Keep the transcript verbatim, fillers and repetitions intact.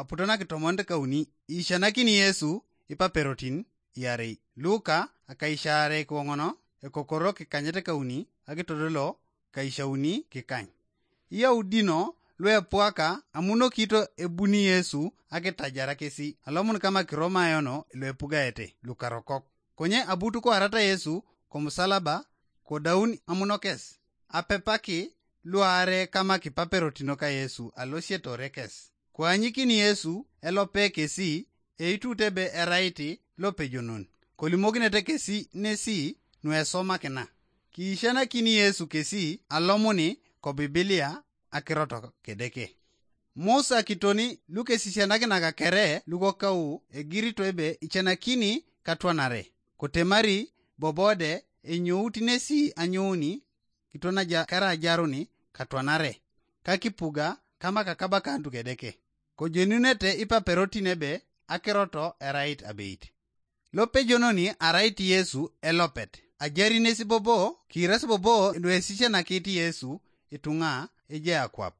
aputo nakitomonit kauni, ishanakini Yesu ipaperotin iarei. Luka akaishaare kiwoŋono, ekokoro kikanyet kauni, akitodolo kaishauni kikany. Iyaudino luepuaka amunokito ebuni Yesu akitajar kesi alomun kama Kiromayono luepugaete lukarokok. Konye abutu koarata Yesu komusalaba, kodaun amunokes. Apepaki luaare kama kipaperotino ka Yesu alosietore kes. Koanyikini Yesu elope kesi, eitut ebe erait lopejonon. Kolimokinete kesi nesi nuesomakina. Kiishanakini Yesu kesi alomuni ko Bibilia akirot kedeke. Musa kitoni lukesisianakinak kere lukokau egirito ebe icenakini katwanare, kotemari bobode enyout nesi anyouni kitwanaja kerajaruni katwanare, kakipuga kama kakabakantu kedeke. Kojenunete ipaperotin ebe akiroto erait abeit. Lopejononi arait Yesu elopet. Ajari nesi bobo, kiras bobo luesisianakit Yesu ituŋa ejai akwap.